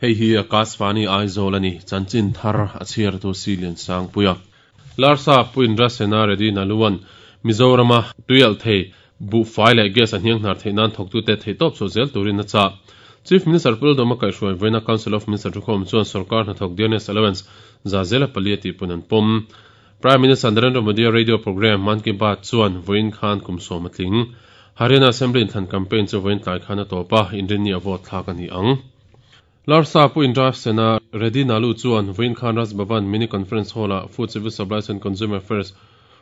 Hei hi Akashvani Aizawl a ni, chanchin thar a chhiartu Silian Sangpuia. Larsa Pu Indra Sena Reddy Naluan Mizorama tuialh thei buhfai leh gas a hniang hnar theih nan thawktute theihtawp chhuah zel turin a chah. Chief Minister Pu Lalduhoma kaihhruai vawiina Council of Minister thukhawm chuan sorkar hnathawk Dearness Allowance za zela pali a tihpun an pawm. Prime Minister Narendra Modi-a radio programme Mann Ki Baat chuan vawiin khan kum sawm a tling. Haryana Assembly inthlan campaign chu vawiin tlai khan a tawp a, inrinni a vote thlak a ni ang. Larsa Pu Indra Sena Reddy Nalu chuan vawiin khan Raj Bhavan Mini Conference Hall-ah Food Civil Supplies and Consumer Affairs,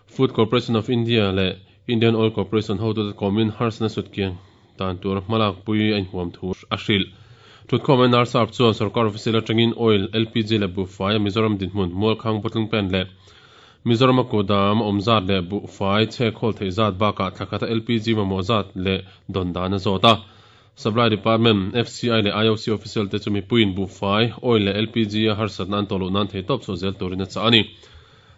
Food Corporation of India leh Indian Oil Corporation hotute kawmin harsatna sutkiang dan tur hmalak pui a inhuam thu a hrilh. Thutkhawm NRSAP chuan sorkar official atangin oil, LPG leh buhfai a Mizoram dinhmun, Mualkhang bottling plant leh Mizorama kudam awm zat leh buhfai chhekhawl theih zat bakah thla khata LPG mamawh zat leh dawn dan a zawt a. Supply Department, FCI leh IOC official te chu mipuiin buhfai, oil leh LPG a harsatna an tawh loh nan theihtawp chhuah zel turin a chah a ni.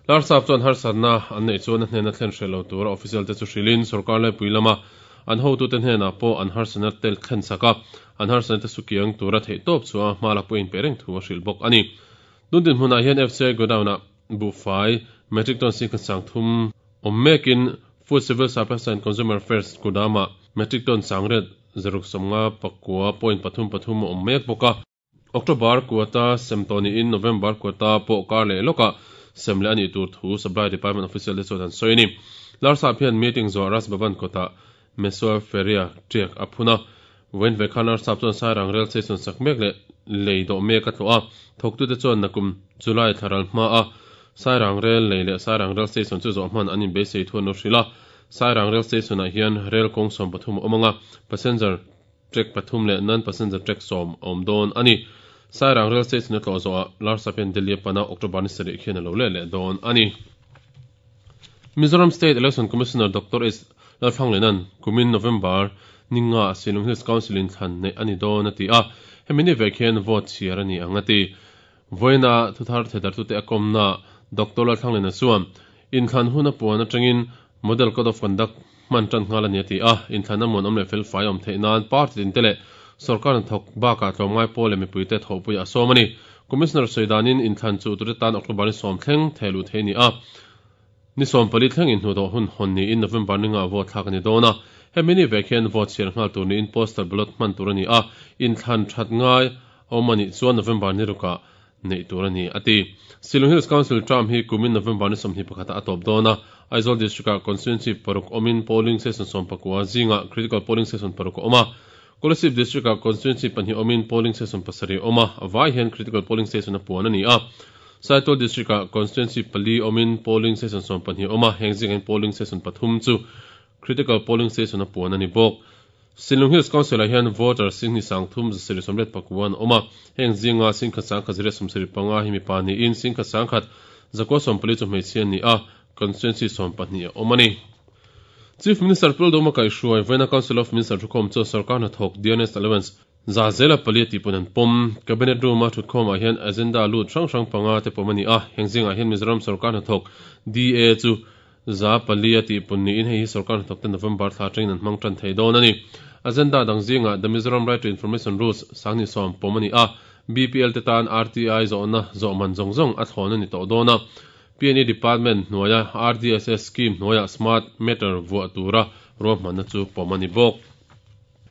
Larsap chuan harsatna an neih chuan a hnena thlen hreh lo tura official te chu hrilhin sorkar laipui lama an hotute hnenah pawh an harsatna te thlen sak a, an harsatna te sukiang tura theihtawp chhuah a hma lak pawhin pe reng thu a hrilh bawk a ni. Tun dinhmunah hian FCI godown-ah buhfai, metric ton singkhat sangthum awm mekin Food Civil Supplies and Consumer Affairs kudamah metric ton sangriat zaruk sawmnga pakua point pathum pathum a awm mek bawk a. October kuata sem tawh niin November kuata pawh kar leh lawkah sem leh a nih tur thu Supply Department official te chuan an sawi a ni. Larsap hian meeting zawh Raj Bhavan kawtah Mesua Feria tiak a phun a. Vawiin ve khan Larsap chuan Sairang Rail Station sak mek leh lei dawh mek a tlawh a. Thawktute chuan nakum July thla ral hmaa Sairang Rail lei leh Sairang Rail Station chu zawh hman an inbeisei thu an lo hrilh a. Sairang Rail Station-ah hian rel kawng 13 a awm ang a, passenger track pathum leh non-passenger track sawm a awm dawn a ni. Sairang Rail Station a tlawh zawhah Larsap hian Delhi a pan a, October ni sarih khian a lo leh leh dawn a ni. Mizoram State Election Commissioner Doctor S. Lalthlanglena'n kumin November ni nga Shillong Hills Council in thlan neih a ni dawn a ti a, hemi ni vek hian vote chhiar a ni ang a ti. Vawiina thuthar theidartute a kawmna Doctor Lalthlanglena chuan inthlan hun a puan atangin Model Code of Conduct hman tan nghal a ni a ti a, inthlan a muanawm leh felfai a awm theih nan party tinte leh sorkar hnathawk bakah tlawmngai pawl leh mipuite thawhpuiah a sawm a ni. Commissioner sawi danin inthlan chu tute tan October ni sawm thleng theh luh theih a ni a, ni 14 thleng inhnuhdawh hun hawn niin November ni ngah vote thlak a ni dawn a. Hemi ni vek hian vote chhiar nghal tur niin postal ballot hman tur a ni a, inthlan that ngai a awm a nih chuan November ni rukah neih tur a ni, a ti. Shillong Hills Council term hi kumin November ni 21 ah a tawp dawn a, Aizawl District-ah constituency paruk awmin polling station 19 zingah critical polling station paruk a awm a, Kolasib District-ah constituency pahnih awmin polling station pasarih a awm a, a vai hian critical polling station a puan a ni a. Saitual District-ah constituency pali awmin polling station 12 a awm a, heng zingah hian polling station pathum chu critical polling station a puan a ni bawk. Shillong Hills Council-ah hian voter singhnih sangthum zasarih sawmriat pakua an awm a, heng zinga singkhat sangkhat zariat sawmsarih panga hi mipa niin singkhat sangkhat zakua sawmpali chu hmeichhia an ni a, constituency 12 a awm a ni. Chief Minister Pu Lalduhoma kaihhruai vawiina Council of Minister thukhawm chuan sorkar hnathawk Dearness Allowance za zela pali a tihpun an pawm. Cabinet room-a thutkhawmah hian agenda lut hrang hrang panga te pawm a ni a, heng zingah hian Mizoram sorkar hnathawk DA chu Za pali a tihpun niin hei hi sorkar hnathawkte November thla atangin an hmang tan thei dawn a ni. Agenda dang zingah The Mizoram Right to Information Rules sanghnih sawm pawm a ni a, BPL te tan RTI zawhna zawh man zawng zawng a thlawn a ni tawh dawn a. PNE Department hnuaia RDSS scheme hnuaiah Smart Meter vuah tura ruahmanna chu pawm a ni bawk.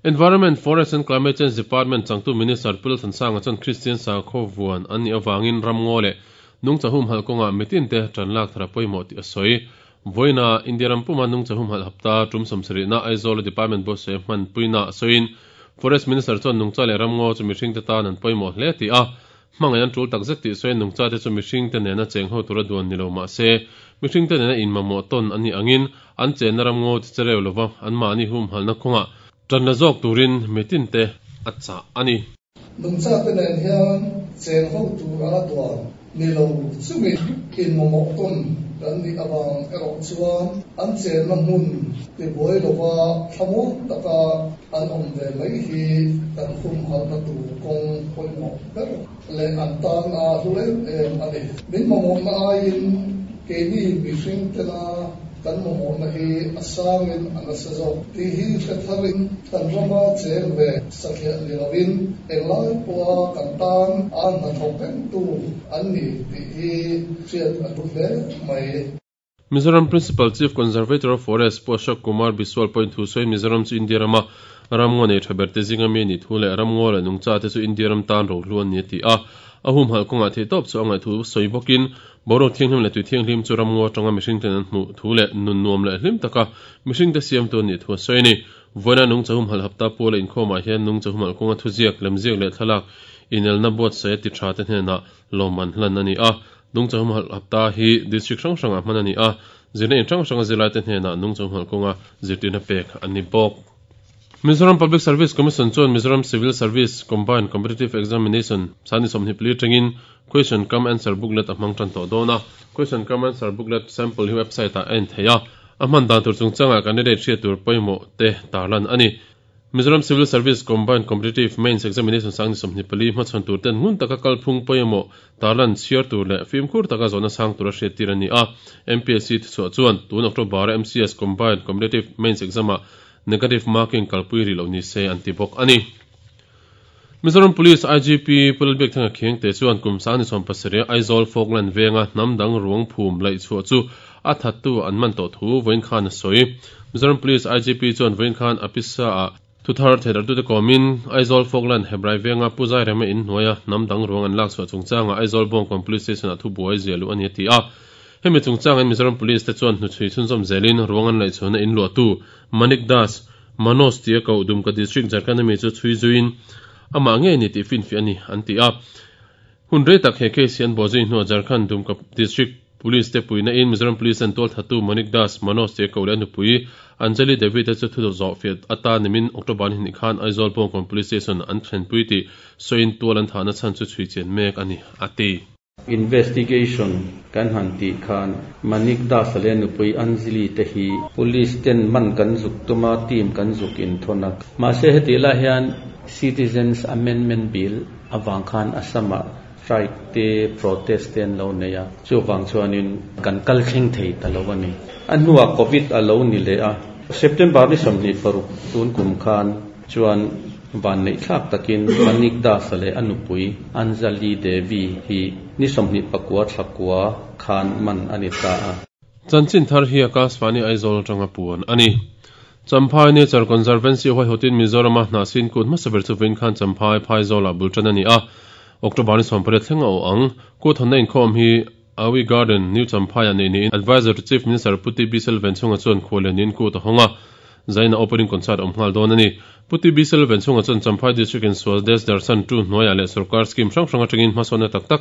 Environment, Forest and Climate Change Department changtu Minister Pu Lalthansanga chuan Kristian sakhaw vuan an nih avangin ramngaw leh nungcha humhalh kawngah mitinte tan lak thar a pawimawh tih a sawi. Vawiina India ram puma nungcha humhalh hapta tum sawmsarihna Aizawla Department buatsaih hmanpuina a sawiin Forest Minister chuan nungcha leh ramngaw chu mihringte tan an pawimawh hle tih a Hmangaih an tul takzet tih sawiin nungchate chu mihringte nena cheng ho tura duan ni lo mah se, mihringte nena inmamawh tawn an nih angin an chenna ram ngaw chi chereu lova anmahni humhalhna kawngah tan la zawk turin mitinte a chah a ni. Nungchate nen hian cheng ho tur anga duan ni lo chungin inmamawh tawn kan nih avang erawh chuan an chenna hmun tibuai lova thlamuang taka an awm ve mai hi kan humhalhna tur kawng pawimawh ber leh an tan a hlu em em a ni. Min mamawhna aiin. Keini mihring tena kan mamawhna hi a sangin a nasa zawk tih hi hre tharin kan rama cheng ve satliah ni loin englai pawha kan tan a hnathawk rengtu an ni tih hi hriat a tul hle mai. Mizoram Principal Chief Conservator of Forest Pu Ashok Kumar Biswal pawhin thu sawiin Mizoram chu India rama ramngaw nei tha ber te zinga mi a nih thu leh ramngaw leh nungcha te chu India ram tan rohlu an ni a ti a. A humhalh kawngah theihtawp chu a ngaih thu sawi bawkin boruak thianghlim leh tui thianghlim chu ramngaw atanga mihringten an hmuh thu leh nun nuam leh hlim taka mihringte siamtu an nih thu a sawi a ni. Vawiina nungcha humhalh hapta puala inkhawmah hian nungcha humhalh kawnga thuziak, lemziak leh thlalak inelna buatsaih a ti tha te hnenah lawmman hlan a ni a. Nungcha humhalh hapta hi district hrang hrangah hman a ni a, zirna in hrang hranga zirlaite hnenah nungcha humhalh kawnga zirtirna pek a ni bawk. Mizoram Public Service Commission chuan Mizoram Civil Service Combined Competitive Examination sani 24 atangin Question cum Answer Booklet a hmang tan tawh dawn a. Question cum Answer Booklet sample hi website ah a en theih a, a hman dan tur chungchangah candidate hriat tur pawimawh te tarlan a ni. Mizoram Civil Service Combined Competitive Mains Examination sang ni 24 hmachhawn tur ten ngun taka kalphung pawimawh tarlan chhiar tur leh fimkhur taka zawhna sang tura hriattir a ni a. MPSC thuchhuah chuan tun October a MCS Combined Competitive Mains Exam ah negative marking kalpui rih loh ni se an ti bawk a ni. Mizoram Police IGP Pu Lalbiakthanga Khiangte chuan kum sang ni 17 Aizawl Falkland venga hnam dang ruang phum laih chhuah chu a thattu an man tawh thu vawiin khan a sawi. Mizoram Police IGP chuan vawiin khan a pisa ah thuthar theidarhtute kawmin Aizawl Falkland Hebrai venga Pu Zairema in hnuaia hnam dang ruang an lak chhuah chungchangah Aizawl Bawngkawn Police Station ah thubuai ziah luh a ni a ti a. Hemi chungchangin Mizoram Police te chuan hnuchhui chhunzawm zelin ruang an laih chhuahna in luahtu Manik Das, Manoj tia koh Dumka District Jharkhand ami chu chhui zuiin amah ngei ni tih finfiah a ni an ti a. Hun rei tak he case hi an bawh zui hnuah Jharkhand Dumka District Police te puihna in Mizoram Police an tualthatu Manik Das, Manoj tia koh leh a nupui Anjali Devi te chu thu zawh fiah atan nimin October ni hnih khan Aizawl Bawngkawn Police Station an thlenpui tih sawiin tual an thahna chhan chu chhui chian mek a ni a ti. Investigation kan han tih khan Manik Das leh nupui Anjali te hi police ten man kan zuk tum a, team kan zuk inthawn a. Mahse hetih lai hian Citizens Amendment Bill avang khan Assam ah strike te protest te an lo nei a, chuvang chuanin kan kal thleng thei ta lo a ni. A hnuah Covid a lo ni leh a, September ni 26 tun kum khan chuan vanneih thlak takin Manik Das leh a nupui Anjali Devi hi ni 29 thlakua khan man a ni ta a. Chanchin thar hi Akashvani Aizawl atanga puan a ni. Champhai Nature Conservancy huaihawtin Mizorama hnahsin kut hmasa ber chu vawiin khan Champhai Phaizawlah bul tan a ni a, October ni 18 thleng a awh ang. Kut hawnna inkhawm hi Awi Garden, New Champhai-ah neih niin Adviser to Chief Minister Pu TB Selvenchhunga chuan khuallianin kut a hawng a, zaina opening concert a awm nghal dawn a ni. Pu TB Selvenchhunga chuan Champhai District in Swades Darshan 2 hnuaiah leh sorkar scheme hrang hrang atangin hmasawnna tak tak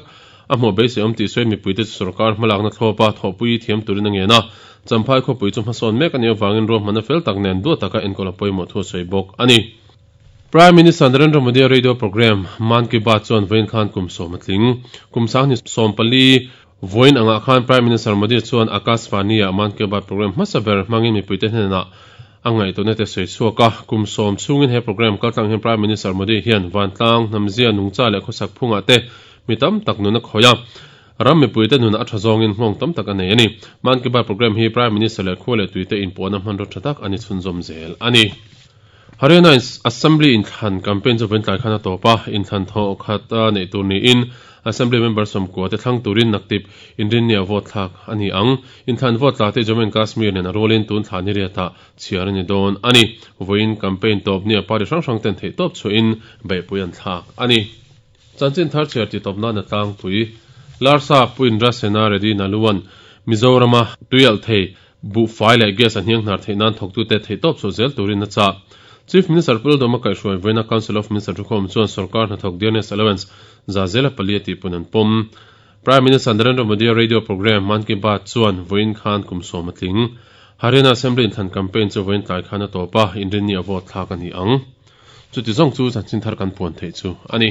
a hmuh beisei awm tih sawiin mipuite chu sorkar hmalakna thlawpa thawhpui thiam turin a ngen a. Champhai khawpui chu hmasawn mek a nih avangin ruahmanna fel tak nen duat taka enkawl a pawimawh thu a sawi bawk a ni. Prime Minister Narendra Modi a radio programme Mann Ki Baat chuan vawiin khan kum sawm a tling. Kum sanghnih 14 vawiin angah khan Prime Minister Modi chuan Akashvani ah Mann Ki Baat programme hmasa ber hmangin mipuite hnenah a ngaihtuahna te sawi chhuak a. Kum sawm chhungin he programme kaltlang hian Prime Minister Modi hian vantlang, hnamzia, nungcha leh khawsak phungah te mi tam tak nun a khawih a. Ram mipuite nun a tha zawngin nghawng tam tak a nei a ni. Mann Ki Baat programme hi Prime Minister leh khua leh tuite inpawhna hmanraw tha tak a ni chhunzawm zel a ni. Haryana Assembly inthlan campaign chu vawiin tlai khan a tawp a, inthlan thawh khat a neih tur niin Assembly member 90 te thlang turin naktip inrinnia vote thlak a ni ang. Inthlan vote tla te Jammu and Kashmir nen a rualin tun thla ni riatah chhiar a ni dawn a ni. Vawiin campaign tawp nia party hrang hrang ten theihtawp chhuahin beihpui an thlak a ni. Chanchin thar chhiar tih tawp nan a tlangpui. Larsa Pu Indra Sena Reddy Naluan Mizorama tuialh thei buhfai leh gas a hniang hnar theih nan thawktute theihtawp chhuah zel turin a chah. Chief Minister Pu Lalduhoma kaihhruai vawiina Council of Minister thukhawm chuan sorkar hnathawk dearness allowance za zela pali a tihpun an pawm. Prime Minister Narendra Modi-a radio programme Mann Ki Baat chuan vawiin khan kum sawm a tling. Haryana Assembly inthlan campaign chu vawiin tlai khan a tawp a, inrinni a vote thlak a ni ang. Chuti zawng chu chanchin thar kan puan theih chu a ni.